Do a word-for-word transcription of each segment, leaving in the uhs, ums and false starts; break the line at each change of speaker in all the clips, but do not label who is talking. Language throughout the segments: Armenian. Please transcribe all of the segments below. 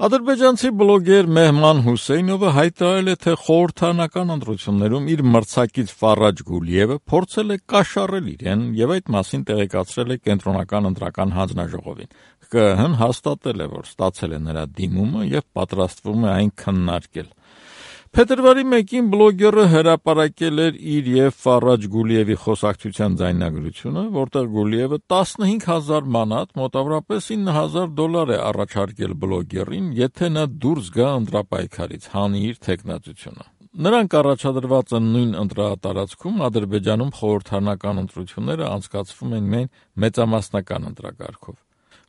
Ադրբեջանցի բլոգեր Մեհման Հուսեյնովը հայտարարել է, թե խորհրդարանական ընտրություններում իր մրցակից Ֆարաջ Գուլիևը փորձել է կաշառել իրեն եւ այդ մասին տեղեկացրել է Կենտրոնական ընտրական հանձնաժողովին։ ԿԸՀ-ն հաստատել է, որ ստացել է նրա դիմումը եւ պատրաստվում է այն քննարկել։ Փետրվարի մեկին բլոգերը հրապարակել էր իր եւ Ֆարաջ Գուլիևի խոսակցության ձայնագրությունը, որտեղ Գուլիևը տասնհինգ հազար մանատ, մոտավորապես ինը հազար դոլար է առաջարկել բլոգերին, եթե նա դուրս գա ընտրապայքարից, հանի իր թեկնածությունը։ Նրանք առաջադրված են նույն ընտրատարածքում Ադրբեջանում խորհրդարանական ընտրությունները անցկացվում են միայն մեծամասնական ընտրակարգով։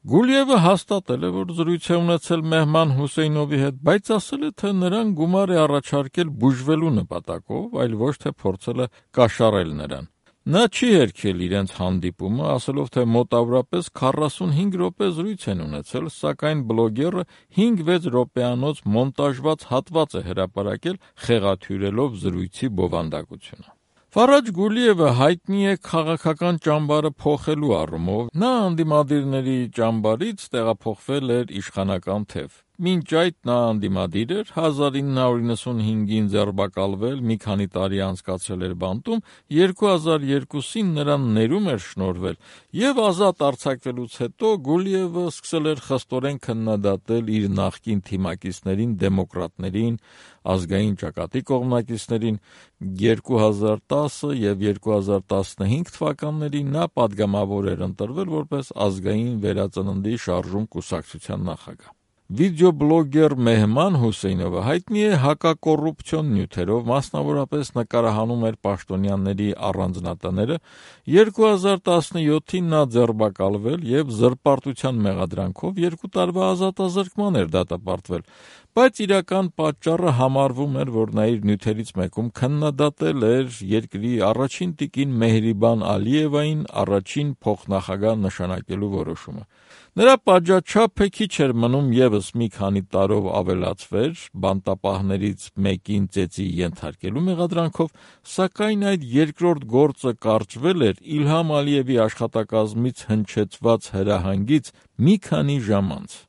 Գուլիևը հաստատել է, որ զրույց է ունեցել Մեհման Հուսեյնովի հետ, բայց ասել է, թե նրան գումար է առաջարկել բուժվելու նպատակով, այլ ոչ թե փորձել է կաշառել նրան։ Նա չի հերքել իրենց հանդիպումը, ասելով, թե մոտավորապես քառասունհինգ րոպե զրույց են ունեցել, սակայն բլոգերը հինգ-վեց րոպեանոց մոնտաժված հատված է հրապարակել, խեղաթյուրելով զրույցի բովանդակությունը։ Ֆարաջ Գուլիևը հայտնի է քաղաքական ճամբարը փոխելու առումով, նա անդիմադիրների ճամբարից տեղափոխվել էր իշխանական թև։ Մինչ այդ նա անդիմադիր էր, հազար ինը հարյուր նվաթ ձերբակալվել, մի քանի տարի անցկացրել էր բանտում, երկու հազար երկուսին նրան ներում էր շնորհվել, եւ ազատ արձակվելուց հետո Գուլիևը սկսել էր խստորեն քննադատել իր նախկին թիմակիցներին, դեմոկրատներին, ազգային ճակատի կողմնակիցներին։ երկու հազար տասը եւ երկու հազար տասնհինգ թվականներին նա պատգամավոր էր ընտրվել որպես ազգային վերածննդի շարժում կուսակցության նախագահ։ Վիդեոբլոգեր Մեհման Հուսեյնովը հայտնի է հակակոռուպցիոն նյութերով, մասնավորապես նկարահանում էր պաշտոնյաների առանձնատները։ երկու հազար տասնյոթին նա ձերբակալվել եւ զրպարտության մեղադրանքով երկու տարվա ազատազրկման էր դատապարտվել, բայց իրական պատճառը համարվում էր, որ նա իր նյութերից մեկում քննադատել էր երկրի առաջին տիկին Մեհրիբան Ալիևային առաջին փոխնախագահ նշանակելու որոշումը։ Նրա պատժաչափը քիչ էր մնում եւս մի քանի տարով ավելացվեր բանտապահներից մեկին ծեծի ենթարկելու մեղադրանքով, սակայն այդ երկրորդ գործը կարճվել էր Իլհամ Ալիևի աշխատակազմից հնչեցված հրահանգից մի քանի ժամ անց։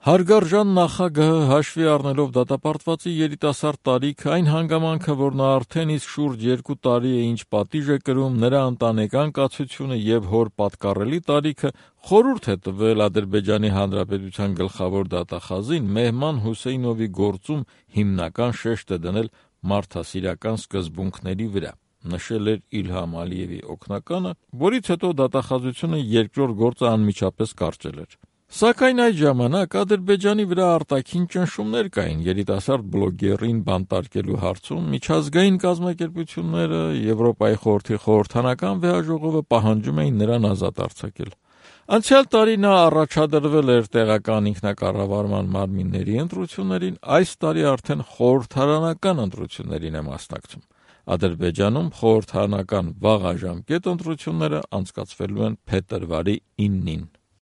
Հարգարժան նախագահը հաշվի առնելով դատապարտվածի երիտասարդ տարիքը, այն հանգամանքը, որ նա արդեն իսկ շուրջ երկու տարի է ինչ պատիժ է կրում, նրա ընտանեկան կացությունը եւ հոր պատկառելի տարիքը, խորհուրդ է տվել Ադրբեջանի Հանրապետության գլխավոր դատախազին Մեհման Հուսեյնովի գործում հիմնական շեշտ է դնել մարդասիրական սկզբունքների վրա, նշել էր Իլհամ Ալիևի օգնականը, որից հետո դատախազությունը երկրորդ գործը անմիջապես կարճել էր։ Սակայն այդ ժամանակ Ադրբեջանի վրա արտաքին ճնշումներ կային երիտասարդ բլոգերին բանտարկելու հարցում, միջազգային կազմակերպությունները, Եվրոպայի խորհրդի խորհրդարանական վեհաժողովը պահանջում էին նրան ազատ արձակել։ Անցյալ տարի նա առաջադրվել էր տեղական ինքնակառավարման մարմինների ընտրություններին, այս տարի արդեն խորհրդարանական ընտրություններին է մասնակցում։ Ադրբեջանում խորհրդարանական վաղաժամկետ ընտրությունները անցկացվելու են փետրվարի իննին։